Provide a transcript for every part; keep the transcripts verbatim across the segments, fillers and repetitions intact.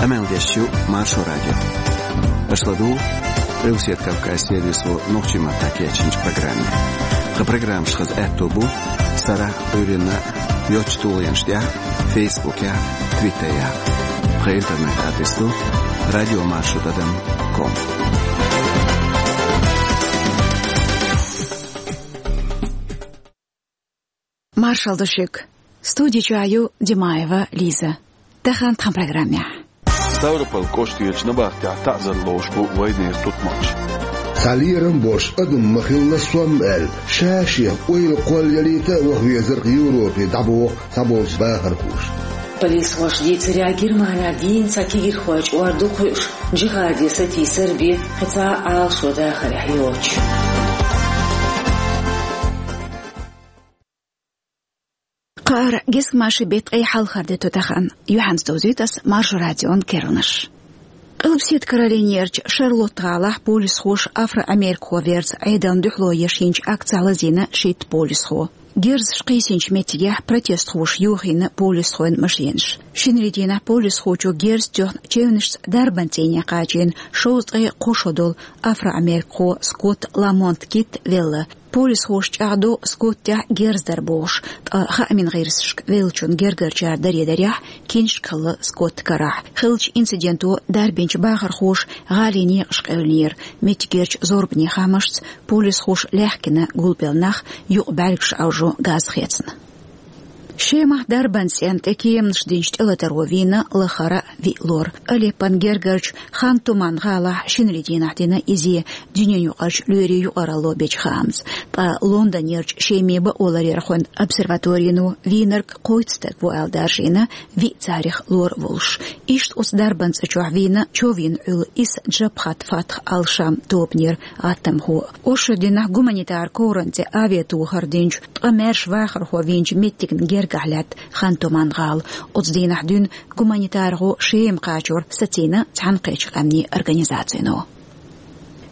Къамел деш ю Маршо радио. Аша ладугӀу Къилбаседа Кавказ сервисо нохчийн маттахь кечйинчу программе. Тхан программаш хаза аьтто бу сарахь, Ӏуьйранна йоцчу тулгӀенаш тӀехь, Фейсбукехь, Твиттерехь. Тхан интернет-адрес ду радио маршо тӀадам ком. Маршалла ду шуьга. Студи чохь ю Димаева Лиза. Тахана тхан программехь. Ставрополь кӀоштарчу набахтехь таӀзар лоруш бу вайнера тутмакхаш. Цхьа лерам болуш адам ма хилла сом аьлла, ша-шех ойла кхоллаялийта а ваха везара Европе дӀабоху цхьаболчу бахархоша. Полисхоша дийцарехь, Германехь дийна цхьа кегийрхойн чкъор ду кхуьуш, джихаде сатийсар бен кхин цхьа а Ӏалашо дахарехь йоцуш. Кхаара гезгмашин беттан ткъе хьалхара де ду тахана. Юьхьанца довзуьйту ас Маршо радион керланаш. Къилбаседа Каролинерчу Шарлотт-гӀалахь полисхоша афро-америкхо верза Ӏедална дуьхьало еш йинчу акцехь лазийна шийтта полисхо. Герзаш кхийсинчу меттигехь протестхоша йохийна полисхойн машенаш. Шинарин дийнахь полисхочо герз тоьхна чевнашца дарбан цӀийне кхачийна шовзткъе кхо шо долу афро-америкхо Скотт Ламонт Китт велла. Полисхоша чӀагӀдо Скоттехь герз дара бохуш, ткъа хаамийн гӀирсашка веллачун гергарчара даре дарехь, киншка хилла Скотта карахь. Хиллачу инциденто дарбинчу бахархоша гӀалин некъаш къевлинера. Меттигерчу зорбанийн хаамашца, полисхоша лаьхкина гулбелла нах, юкъа бӀаьргаш Ӏовжо, газ хецна. Шемахь дарбан цӀенна тӀе кеманаш динчу тӀелатаро вийна лахара виъ лор. Алеппон гергарчу Хан Туман гӀалахь шинарин дийнахь дина иза, дуьненан юкъарчу лоьрийн юкъаралло бечу хаамца. Ткъа Лондонерчу Шеман бакъоларъярхойн обсерваторино вийнарг кхойтта стаг ву аьлла даржийна, виъ царах лор а волуш. Иштта оцу дарбан цӀа чохь вийна чов йина Ӏуьллу исс Джабхат Фатх ал-Шам тобанера гӀаттамхо. Оршот дийнахь гуманитар ковран тӀе авиатохар динчу, ткъа маьрша вахархо вийначу меттигна гергахь лаьтта Хан Туман гӀала. Оцу дийнахь дуьйна гуманитархо Шема кхачор сацийна Цхьаьнакхеттачу Къаьмнийн Организацино.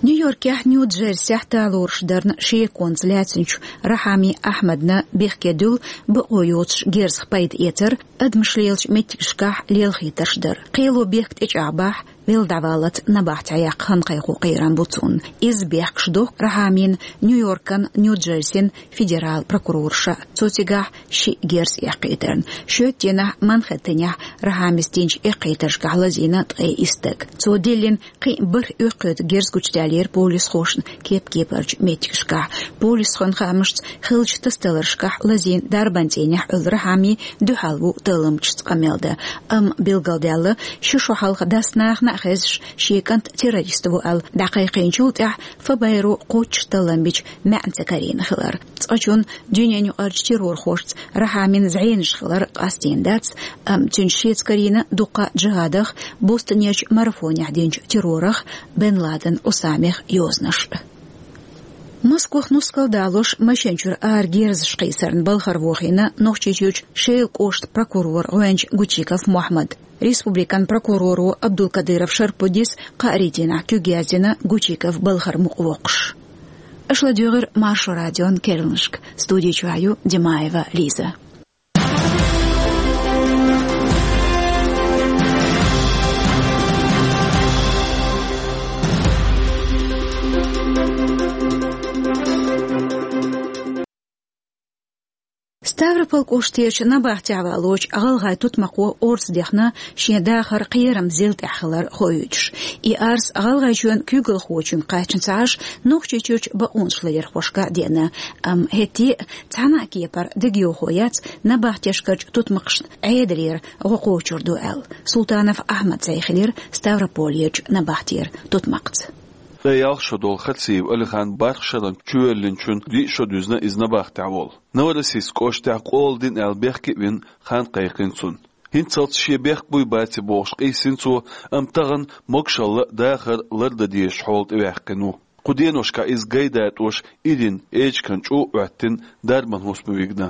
Нью-Йоркехь Нью-Джерсехь талораш дарна шеконца лаьцначу Рахьами Ахьмадна бехке дуьллу бакъо йоцуш герзах пайда эцар, адамаш лелачу меттигашкахь лелхийтарш дар. Кхело бехк тӀечӀагӀбахь, велла дӀаваллалц набахтехь яккха хан кхайкхо кхерам бу цунна. Иза бехкаш дохку Рахьамина Нью-Йоркан, Нью-Джерсин федерал прокурорша. Цо цигахь шиъ герз эккхийтарна. Шоьтан дийнахь Манхэттенехь Рахьамис динчу эккхийтаршкахь лазийна ткъе исс стаг. Цо диллина кхин а бархӀ оьккхуьйту герз гучудаьллера полисхошна кеп-кепарчу меттигашкахь. Полисхойн хаамашца, хиллачу тасадаларшкахь лазийна дарбан цӀийнехь Ӏуьллу Рахьами дуьхьал ву талламчашца къамел дан. Амма билгалдаьлла, ши шо хьалха дас нахана а хезаш, шен кӀант террорист ву аьлла дӀакхайкхийначул тӀаьхьа ФБР-о кхоччуш таллам бича маьӀна ца карийна хилар. Цкъачунна дуьненан юкъарчу террорхошца Рахьамин зӀенаш хилар къастийна дац, амма цуьнца шеца карийна дуккха а джихадах, Бостонерчу марафонехь динчу террорах, Бен Ладен Усамех йозанаш. Москвах нускал далош машен чуьра ара герзаш кхийсарна балхара вохийна Нохчийчуьрчу Шелан кӀоштан прокурор гӀоьнча Гучиков Мохьмад. Республикан прокуроро Абдулкадыров Шарпудис кхаарин дийнахь куьг яздина Гучиков балхара мукъавоккхуш. Аша ладуьйгӀира Маршо радион керланашка. Студи чохь ю Димаева Лиза. Ставрополь кӀоштарчу набахтехь валочу гӀалгӀайн тутмакхо орца дехна шен дахар кхерам зил тӀехь хилар хоуьйтуш. И арз ГӀалгӀайчоьнан куьйгалхочуьнга кхаьчна ца Ӏаш, Нохчийчуьрчу бакъонашларъярхошка а деана. Амма хӀетте а цхьана а кепара дегайовхо яц набахтешкарчу тутмакхашна Ӏедалера гӀо кхочур ду аьлла. Султанов Ахьмад цӀа хилира Ставрополерчу набахтера тутмакхца. Ткъе ялх шо долу Харциев Алихан бархӀ шарна чувоьллинчун диъ шо дуьзна иза набахтехь волу. Новороссийск кӀоштахь къола дина аьлла бехке а вина, хан кхайкхина цунна. ХӀинццалц шен бехк буй баций бохуш къийсина цо, амма тахана могушалла а, дахар а лардан дезачу хьоле тӀеваьккхина ву. Кху деношкахь иза гай датӀош Ирина эчиган чӀу а Ӏоьттина, дарбан хӀусам вигна.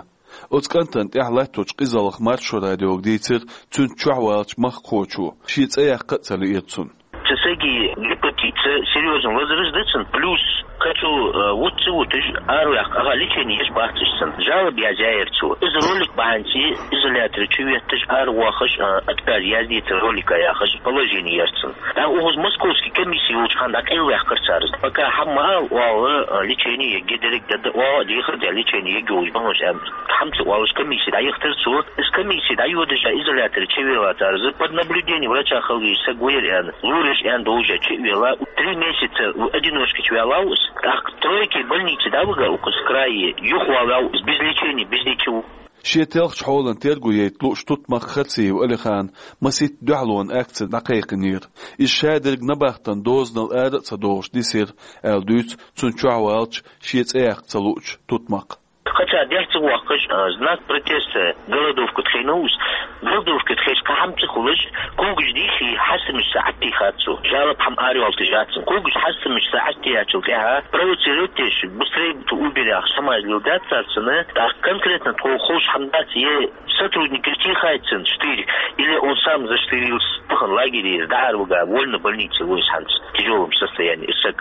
Оцу кӀантана тӀехь латточу къизаллах Маршо радиога дийцира цуьнца чохь валлачу махкахочо, шен цӀе яккха а ца лиира цунна. Цу стеган гепатит серьёзно возрождается, плюс Кхы цу, э, вуц ца вуташ, араваьккха, ага, лечени еш бац уж цун. Жалоба язъяьяр цо. Из ролик бахьанца изоляторе чу ветташ, аравоахаш, э, отказ яздецар ролика яхаш, положени яр цун. ТӀаккха укхаза московски комисси йолча хана дӀакъайлаваьккхар цар. Пока хӀама ма ала, оала, э, лечени ергья, деррига дада, оала, дехар да, лечени ергья уж бахьанаш аьнна. ХӀама ца оалаш комисси дӀаяхийтар цо. Из комисси дӀайодаш, изоляторе чу велла цар. Из под наблюдением врача хила везаш саг вар аьнна. Лораш аьнна долаш чу а велла, три месяца одиночка чу ваьлла ва из. ТӀаккха тройка больнице дӀавига укхаза крае, юхавала ва из без лечения, без ничего. Шен телхача хьолан терго яйта лууш тутмакх Харциев Алихана масийтта дуьхьалонна акци дӀакхайкхинера. Иза шадерг набахтан дозанал ара а ца дохуш дисира, аьлла дуьйцу цунна чохь валча шен цӀе яккха ца луучу тутмакха. Кхача дехьа ца воаккхаш, а, знак протеста, голодовка тхийна ву из. Голодовка тхеш кхин хӀама ца хулаш, когаш дийхи хьастамаш саӀат тийхад цо. Жалоба хӀама араваьлла тижаццан. Когаш хьастамаш саӀат тиячул тӀаьхьа провоцировать деш, быстрее ту уберях, шамаз лил дац царцана, тӀаккха конкретно тхо ховш хӀама дац, е сотрудникаш тийхайцан штырь, или он сам заштрился, пахан лагере, дӀа ара вига, вольно больнице вуйс хьанца, тяжёлом состоянии, саг.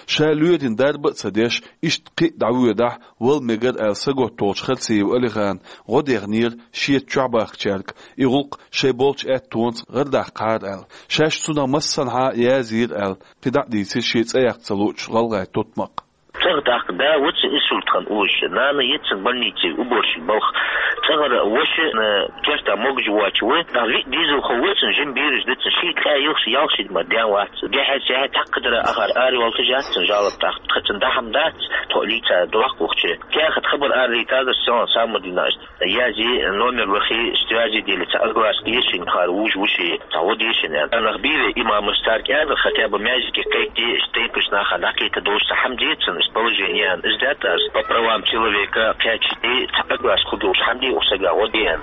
Ша лоьрийн дарба а ца деш, иштта кхин а дӀавоьдахь, вала мегар аьлла саготтолчу Харциев Алихана гӀо дехнера шеца чохь бахкачаьрга, и гӀуллакх шайн болчу аьттонца гӀардаккхахьара аьлла. Шаьш цунах массанхьа а язйийра аьлла, кхин дӀа а дийцира шен цӀе яккха ца луучу гӀалгӀайн тутмакха. ЦӀагӀа тӀаккха да вацан инсульт хан уьш, нана яцан больнице уборщик балха. ЦӀагӀара ваша, э, керта могаш воцуш ву, нах виъ дезалхо вацан, жима бераш дацан, ши ткъаь ялх ши, ялх ши ма ден вац. Дехьа-сехьа тхьаккха дара ахар араваьлла тижаццан жалоба тӀаккха. Тхацан дахьам дац, тхо лийца дохкухча. Кехат хабар аралийтазар сан самадина аша. Язи номер вахи, связи дели, ца огласки ешин хар вуж вуши, ца вот ешин. Анах биве имамаш цар кӀязар, хотя бы мязики кайти, штейпаш наха дакита дош ца хӀама децан, положение ан издятас, по правам человека кхечи, ца огласку дош хӀама ди усага вот ен,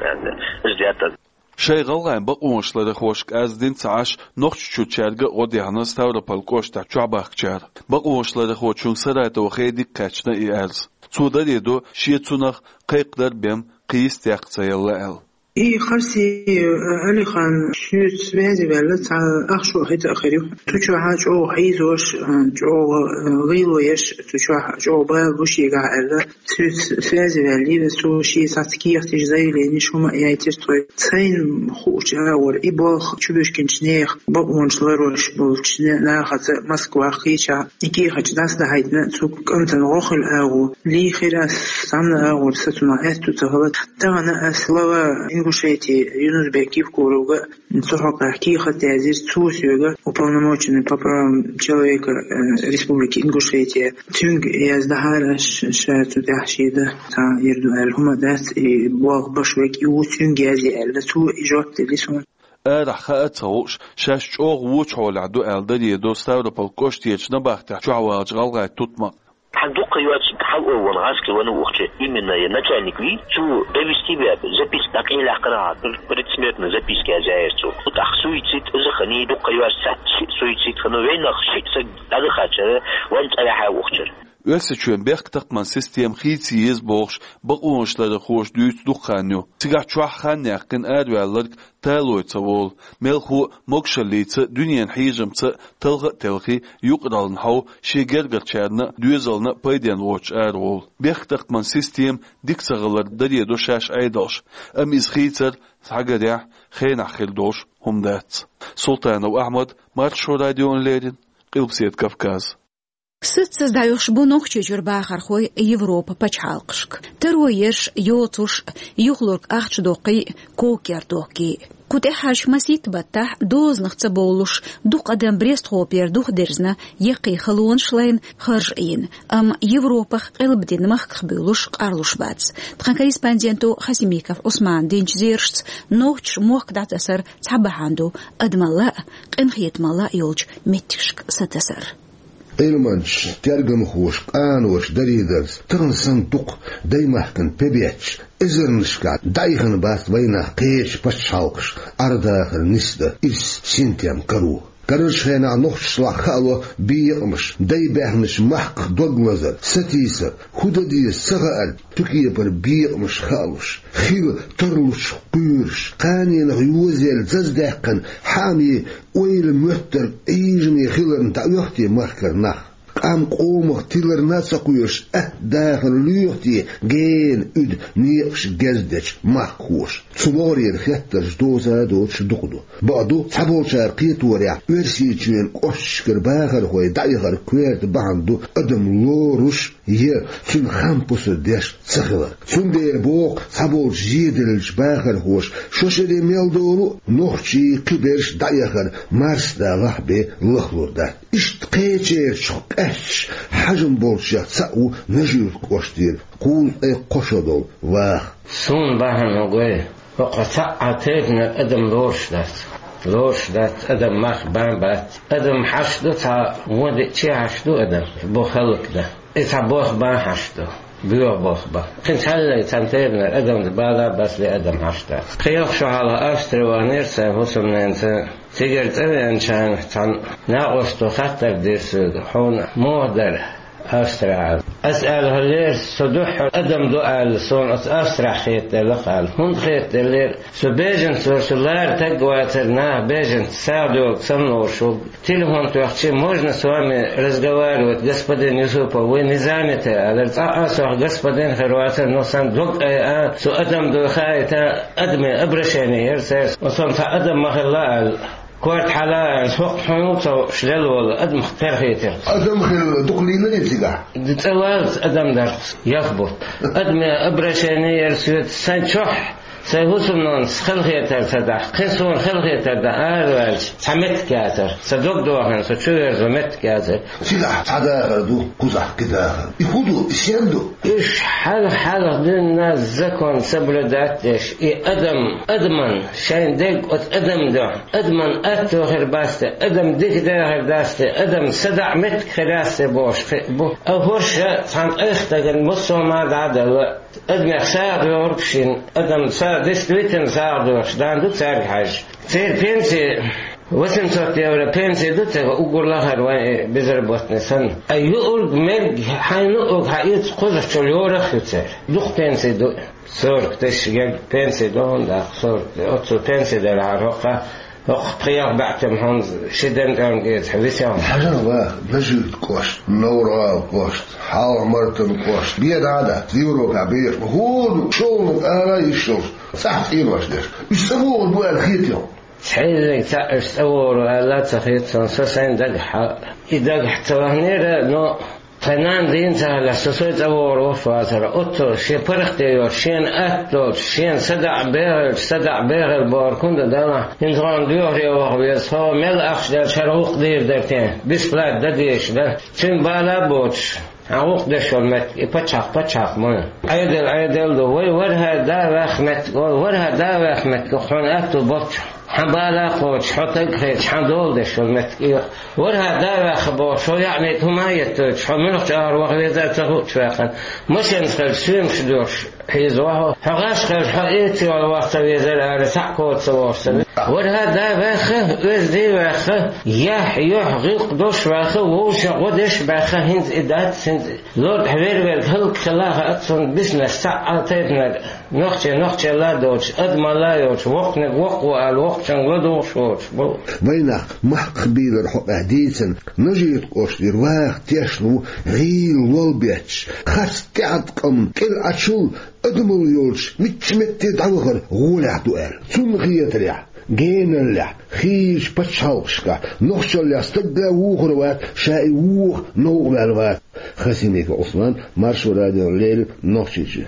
издятас. Шайн гӀалгӀайн бакъонаш ларахошка аз дин ца Ӏаш, Нохчийчуьрчаьрга а гӀо дехна Ставрополь кӀоштахь чохь бахкачара. Бакъонаш ларахочун Саратова хе дика кхаьчна и аьрз. Цо даре до, шен цунах кхайкхадар бен кхийс текх ца елла аьлла. И Харси Алихан шуьца связи ваьлла цхьа ах шо хӀета а хир ю. Цу чохьа чӀогӀа хьийзош, чӀогӀа гӀийло еш, цу чохь чӀогӀа бала бу шегахь аьлла. Цуьца связи ваьллийра, цо шен сац кехаташ, заявленеш хӀума а яйтира тхой. Сайна хуучу агӀор и болх чубуьшкинчу нехан бакъонаш ларош болчу нахаца Москвах кхечахь и кехаташ дӀасадахьийтина, цу кӀантана гӀо хила агӀо лийхира ас, цхьанна агӀор са цунах аьтту ца хала. Тахана ас глава Ингушетии Юнус-Бек Евкуровга цу хьокъехь кехат язйира, цо соьга, уполномоченный по правам человека, э, Республики Ингушетия, цуьнга яздахьара аш, ша цу тӀехь шеда цхьа йир ду аьлла хӀума дац, и болх баш вег и ву, цуьнга язъе аьлла, цо и жоп делли суна. Арахь хаа ца хууш, шаьш чӀогӀа вочу хьолехь ду аьлла даре до Ставрополь кӀоштарчу набахтехь чохь валчу гӀалгӀайн тутмакх. Хьан дуккха йоцу хьал а вон гӀазкхи ван ухча, именно я начальник вий, цу довести веб, записка дӀакъелахкара, предсмертная записка язъяьяр цу. ТӀаккха суицид, иза хани, дуккха йоцу цхьаъ шиъ суицид хана, вайнах шиъ саг дӀадахачара, вайн цӀа яхьа ухчара. Оьрсийчоьнан бехктакхаман система хийца еза бохуш, бакъонаш ларахоша дуьйцу дукха хан ю. Цигахь чохь хан яьккхина араваьлларг талой ца волу, мелхо а могушаллица а, дуьненан хьежамца а талха а телхий, юкъараллин хьов шен гергарчарна а, доьзална а пайденна воцуш араволу. Бехктакхаман система дика ца хилар даре до шаьш Ӏедалш, амма иза хийцар, схьагарехь, хенахь хир долуш хӀума дац. Султанов Ахьмад, Маршо радиона леррина, Къилбаседа Кавказ. Саццаза дӀайохуш бу Нохчийчуьра бахархой Европа пачхьалкхашка. Таро ерш, йоцурш, юхалург ахча доккхий, кокер доккхий. Кху тӀаьххьарчу масийтта баттахь дозанах ца бовлуш, дукха адам Брестхопера духадерзина, яккхий халонаш лайна, харж а йина. Амма Европах къилбадина махках буьйлуш къарлуш бац. Тхан корреспонденто Хасимиков Ӏусмана динчу зерашца, нохчаша мохк дӀатасар цхьа бахьана ду, адамалла а, къинхетамалла а йолчу меттигашка сатасар. Ӏилманчаш, тергамхоша, къаноша даре дарца, тахана санна дукха даймахкана пе бетташ, эзарнашкахь дӀаихина бац вайнах кхечу пачхьалкхаша Ӏар-дахар нисдан ирс синтем каро. Карарчу хенахь нохчашлахь хаало бекъамаш, дай баьхначу махках дог лазар, сатийсар, хӀун дан деза ца хаар, цу кепара бекъамаш хаалуш, хила тарлучух кхоьруш, кханенах йозаелла заздаьккхина хьаамий ойла моьттург Ӏийжаме хиларна дӀаоьху те махкара нах? Амма къомах тиларна а ца кхоьруш, атта дахар лоьху те гена уьду некъаш герз дечу махкахоша? Цу могӀарера хеттарш доца а доцуш дукха ду. Бакъду, цхьаболчара кхеторехь, Оьрсийчоьнан кӀошташкара бахархой дӀаяхар коьрта бахьана ду адам лоруш я цуьнан хам пусар деш ца хилар. Цундела боху цхьаболчу зеделлачу бахархоша, шо шаре мел долу а нохчий, кхиберш дӀаяхар марсадалахь бен лахлур дац. Иштта кхечерачух къаьсташ хьажам болчех цхьаъ ву Нажи-Юьртан кӀоштара кхузткъе кхо шо долу ваха. Суна бахьана гой, хӀокху цхьа а тайпанара адам лоруш дац. Лоруш дац, адам мах бан бац. Адам хьаш ду, цхьа вон деъча хьаш ду адам, бо хӀаллакдан. И цхьа бох бан хьаш ду, боьха бох бан. Кхин цхьаьллай цхьана тайпанара адамца бала а, басле а адам хьаш дац. Кхин йоккха шо хьалха Австри ваханера сайн хӀусамненаца. Цигара цӀа веанчарна цхьана накъосто хаттар дира соьга: «Хьуна муха дара Австрехь?» Ас аьлла: «ХӀара лерас со дуьххьара адам ду аьлла, суна оцу Австрехь хетаделла-кх», аьлла. «ХӀунда хетаделлера?» «Со беженец вара, со лара таг вацара, наха беженец сагӀа доьлгу санна лоруш ву. Телефон тоьхча: „Можно с вами разговаривать, господин Юсупов? Вы не заняты?“ – алара. Цкъа а сох господин хир вацара, но сан дог айа, со адам дуй хаийта, адаме обращение яра церан. Оцунна цхьа адам ма хилла аьлла. Корта хьала аьлла, хӀокху хьуна ву цо шдел волу адамах кхерхийтира». Адам хилла дукха лийнарий цигахь? Ди цӀа валлалц адам дарх яхбу. Адаме обращение яра соьца, сайн чохь, сайн хӀусамнанас халахетар ца дахь, кхин суна халахетар дан араваьлча, цхьа меттиг яцара. Сан дог дохийна, со чу верзо меттиг яцара. Цигахь цхьа дахар ду, кхузахь кхин дахар. И хӀун ду, и стен ду? Уьш хьалха-хьалха дуьненан закон соблюдать деш, и адам, адаман шайн дерг оцу адам дуьхьа, адаман атто хир бац те, адам дика дехар дац те, адам садаӀа меттиг хир яц те бохуш кхин а бу. А хӀорш цхьана къайхтаган массо а ма дӀа а делла, адамех сагӀа доьхург шина, адам са действительно сагӀа доьхуш дан ду цаьрга хьаьжча. Церан пенси восемьсот евро пенси ду цигахь, уггар лахара вайн безработный санна. Ткъа юург, мерг, хьайна юург хьаэца кхузахь чу лорах ю церан. Дукха пенси ду. Сорок тысяч герга пенси ду хьуна, даккха сорок. Оццу пенси делахьара хӀокху, хӀокху пхеа баьӀтина хьуна ши ден тӀом геза хьан висел. Хьажал ваха Нажи-Юьртан кӀошт, Новр-ГӀалин кӀошт, Хьалха-Мартан кӀошт, бен дӀа а дац, Европехь бехаш бу хӀора шолгӀаниг ара йиш йолуш, цӀахь цӀенош деш. Уьш ца бохур бу аьлла хета хьуна? Цхьа ерриг цхьаъ уьш цӀа вогӀур ву аьлла а ца хета суна, со сайн дагахь. И дагахь ца ваханера, но тхайн нана дийна ца хилла, со сой цӀа вогӀур вуш вацара. Оццо шен паргӀатде йолуш, шена атта долчу, шена садаӀа бегӀалчу, садаӀа бегӀал бохург хӀунда дан, хӀинца хьуна доьхуре ваха веза, хьо мел ахча делча хӀара гӀуллакх дийр дара те, бесплатно дан дезаш дара. Цуьнан бала а боцуш, хьан гӀуллакх деш йолу меттиг и пачхьалкх, пачхьалкх ма ю. Ӏедал, Ӏедал ду. Вай ворхӀе да ваьхна меттиг олу, ворхӀе да ваьхна меттиг хьуна аьтту болчу. Хьан бала а кхочуш, хьо таг а хеташ, хьан дола деш йолу меттиг и ю. ВорхӀе да ваьхна бохуш, хьо яъни хӀума а еттойтуш, хьо муьлхачу агӀор ваха везара ца хуучу ваьккхина. Машенаш хилча, соьмаш доьхуш хьийза вахьо. Хьо гӀаш хилча, хьо эца йолу ваха ца везара ара, схьа а коца ца вогӀуш ца везара. ВорхӀе да ваьхна, оьзда ваьхна, яхь, юьхь, гӀиллакх долуш ваьхна, вовшийн гӀо деш баьхна, хӀинца и дац, хӀинца и. Лорда хьан вер-верг хӀаллакьхилла а хаьа цунна, биснарш цхьа а тайпанара, нохчий нохчелла а доцуш, адамалла а йоцуш, воккханиг воккха ву ала, воккхачуьнга ладугӀуш воцуш бу. Вайнах махках бийлар хьокъехь дийцина, Нажи-Юьртан кӀоштара ваха тешна ву гӀийла лол бетташ, харц тӀеӀаткъам кӀел Ӏачул адамалла йолчу мичча метте дӀавахар гӀолехь ду аьлла. Цунна хетарехь, геналлехь, хийрачу пачхьалкхашкахь нохчаллехь стаг а вухур вац, ша и вуха новкъа ваьлла вац. Хасимиков Ӏусман, Маршо радиона леррина, Нохчийчоь.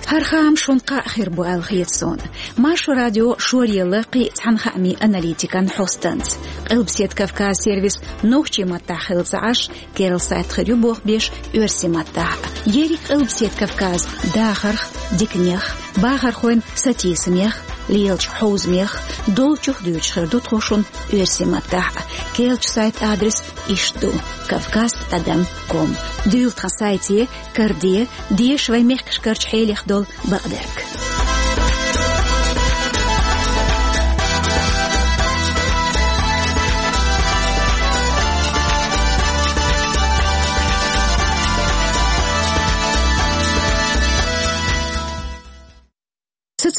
ХӀара хаам шуна кхаъ хир бу аьлла хета суна. Маршо радио шоръелла кхин а цхьана хаамийн аналитикан хьостанца. Къилбаседа Кавказ сервис нохчийн маттахь хилла ца Ӏаш, керла сайт хир ю боху беш оьрсийн маттахь. Ерриг Къилбаседа Кавказ дахарх, диканех, бахархойн сатийсамех, лелачу хьовзамех, долчух дуьйцуш хир ду тхо шуна оьрсийн маттахь. Керлачу сайтан адрес иштта ду: кавказ тӀадам ком. Дуьйла тхан сайте, караде, деша вайн мехкашкарчу хьелех долу бакъдерг.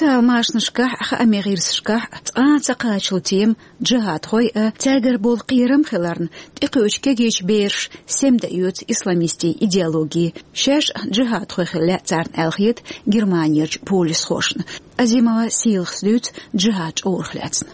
Машинашкахь, хаамийн гӀирсашкахь цкъа а ца кхаччалц тема джихадхой а, цаьргара болу кхерам хиларна, тӀекхуьучу кегийчу бераша сема дан оьцу исламистийн идеологи. Шаьш а джихадхой хила лаьа царна аьлла хета Германерчу полисхошна. Азимова Сийлахьас дуьйцу джихад чкъурах лаьцна.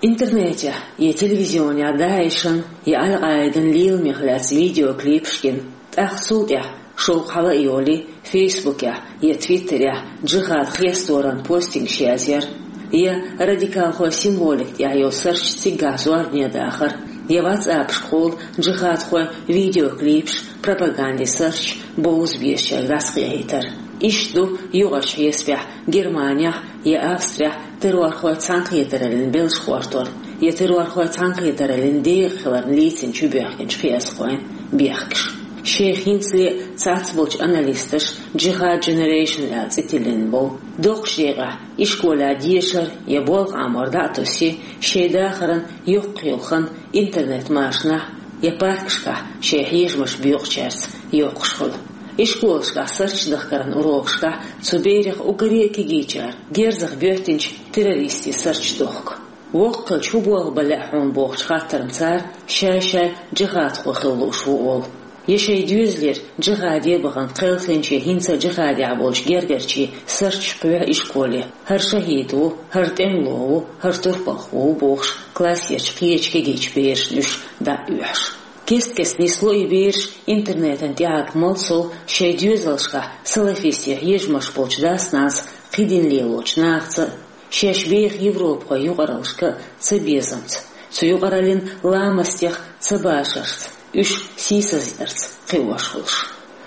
Интернетехь я телевизионехь ДАИШан я Аль-Къаидан леламех лаьцна видеоклипаш гина, тӀаккха цул тӀаьхьа шовкъ хьала а йолий, Фейсбукехь я Твиттерехь джихад хесторан постингаш язъяр, я радикалхойн символика тӀехь йолу сарч циггахь зорбане дахар, я ватсапашкахула джихадхойн видеоклипаш, пропагандин сарч бовза безачаьрга дӀасакхехьийтар. Иштта ду юкъарчу хьесапехь Германехь я Австрехь террорхойн цхьаьнакхетараллин белш хӀоттор я террорхойн цхьаьнакхетараллин декъа хиларна лийцина чубоьхкинчу кхиазхойн бехкаш. Шайх хӀинцале цхьацца болчу аналисташа Jihad Generation аьлла цӀе тиллина болу. Доккхачу декъехь ишколехь дешар я болх Ӏамор дӀа а тосий, шайн дахаран йоккхаелла хан интернет-машанахь я паркашкахь шайн хьежамаш боькъучаьрца йоккхуш хуьлу. Ишколашкахь сарч дахкаран урокашкахь цу берех уггаре а кегийчара герзах боьттинчу террористийн сарч дохку. Воккхачу хӀун болх бан лаьа хьуна бохучу хаттарна цара шай-шай джихадхо хила лууш ву олу. Я шайн доьзалера джихаде бахана кхелхинчийн, хӀинца а джихадехь болчу гергарчийн сарч кхоьхьу ишколе. ХӀара шахӀид ву, хӀара тӀемало ву, хӀара турпалх ву бохуш, классерчу кхечу кегийчу берашна уьш дӀа а оьхьуш. Кест-кеста нисло и бераш интернетан тӀехьа малсовлла шайн доьзалшкахь салафистийн хьежамаш болчу дас-нанас, кхидӀа лелочу нахаца а, шаьш беха европахойн юкъараллашка а цабезамца, цу юкъараллин ламастех цабашарца, уьш сийсаздарца кхиош хуьлуш.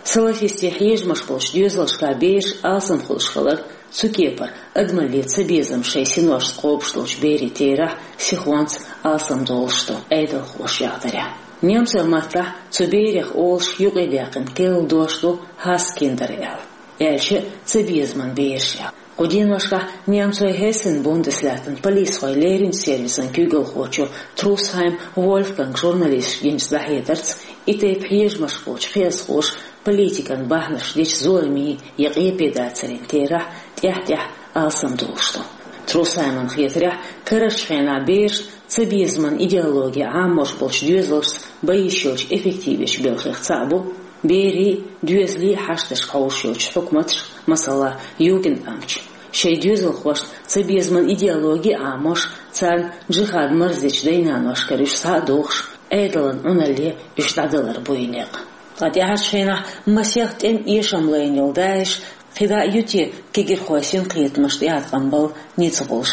Салафистийн хьежамаш болчу доьзалшкахь бераш алсам хуьлуш хилар, цу кепара адамаллин цабезам шайн синошца кхобуш долчу берийн терахь сихонца алсамдолуш ду Ӏедалхоша яхдарехь. Немцойн маттахь цу берех олуш юкъадаьккхина керла дош ду Хасскиндер аьлла, аьлча а цабезаман бераш аьлла. Кху деношкахь немцойн Хессен-Бундеслятан полисхойн леринчу сервисан куьйгалхочо Трусхайм Вольфганга журналисташка динчу дӀахьедарца, и тайпа хьежамаш болчу кхиазхоша политикан бахьанаш дечу зуламийн я къепедацарийн терахь тӀаьхь-тӀаьхьа алсамдолуш ду. Трусхайман хетарехь, карарчу хенахь берашна цабезаман идеологи Ӏамош болчу доьзалшца бан йиш йолчу эффективечу белхех цхьаъ бу берийн, доьзалийн хьашташка хьовсуш йолчу хьукматаш, масала, югендамташ. Шайн доьзалхошна цабезаман идеологи Ӏамош, царна джихад марздечу дай-наношкара уьш схьа а дохуш, Ӏедалан Ӏуналле уьш дӀадалар бу и некъ. Ткъа тӀаьхьарчу хенахь масех тӀеман эшам лайна йолу ДАИШ кхидӀа а ю те кегирхойн синкхетамашна тӀеӀаткъам бала ницкъ болуш?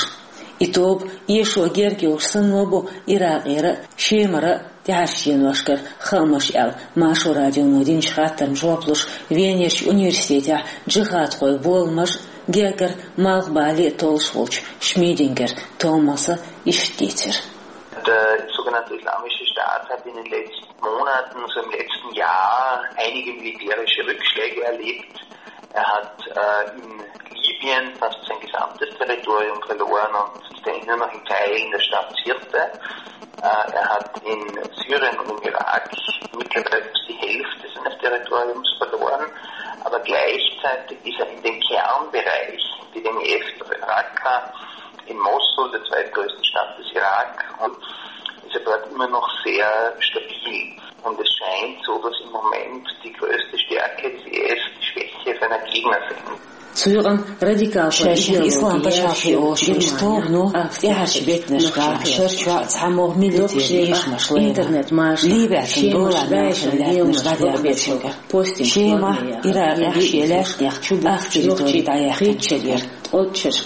И тоба эшо герга йолуш санна бу Иракъера а, Шемара а тӀаьхьарчу деношкара хаамаш аьлла, Маршо радионо динчу хаттарна жоп луш, Венерчу университетехь джихадхойн боламаш а, гергара малхбале а толлуш волчу Шмидингер Томаса иштта дийцира. Der sogenannte Islamische Staat hat in den letzten Monaten, so im letzten Jahr, einige militärische Rückschläge erlebt. Er hat äh, in Libyen fast sein gesamtes Territorium verloren und ist dann nur noch in Teilen der Stadt Sirte. Äh, er hat in Syrien und im Irak mittlerweile fast die Hälfte seines Territoriums verloren. Aber gleichzeitig ist er in den Kernbereichen, die den F Raqqa, in Mosul, der zweitgrößten Stadt des Irak, und ist er dort immer noch sehr stabil. Und es scheint so, dass im Moment die größte Stärke des I S die Schwäche seiner Gegner sind. Цу юкъана радикалхойн шайшинна ислам пачхьалкхе олуш йолчу тобано тӀаьхьарчу беттанашкахь шарчохь цхьамогӀа милитаран эшамаш лайна. Интернет-машанахь Ливия цун долахь нахана лаьттанаш дӀадаьхна цуьнгара. Шемахь, Иракъехь шен лаьттанех ах территори дӀаяьккхинчу дера.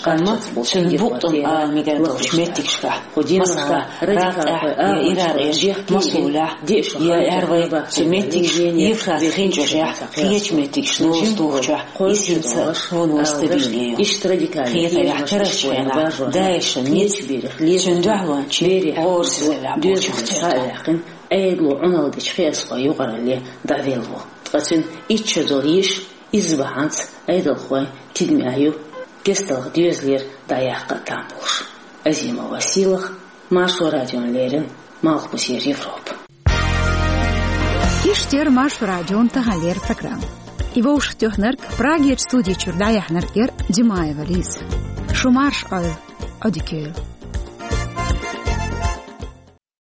Амма цуьнан букъ тӀум ала мегар долчу меттигашкахь, масала, Раккъехь я Иракъерчу Мосулехь, я аьлла вай, цу меттигашка, Евфрат хин чӀожехь кхечу меттигашна ловза тухучохь, иза хӀинца вон-вон стабильне ю. Хетарехь, карарчу хенахь ДАИШан ницкъ цуьнан дуьхьалончийн гӀорасизаллехь болчух терта. Ӏедало Ӏуналла дечу кхиазхойн юкъаралле дӀавелла ву. Ткъа цуьнан итт шо долу йиша, иза бахьанца Ӏедалхойн тидамехь ю кестта доьзалера дӀаяккха а там болуш. Азимова Сийлахь, Маршо радиона леррина, Малхбузера Европа. Иштта яра Маршо радион таханлера программа. И вовшахтоьхнарг, Прагерчу студи чуьра дӀаяьхьнарг яра Димаева Лиза. Шо марш, Ӏойл, Ӏодика йойла.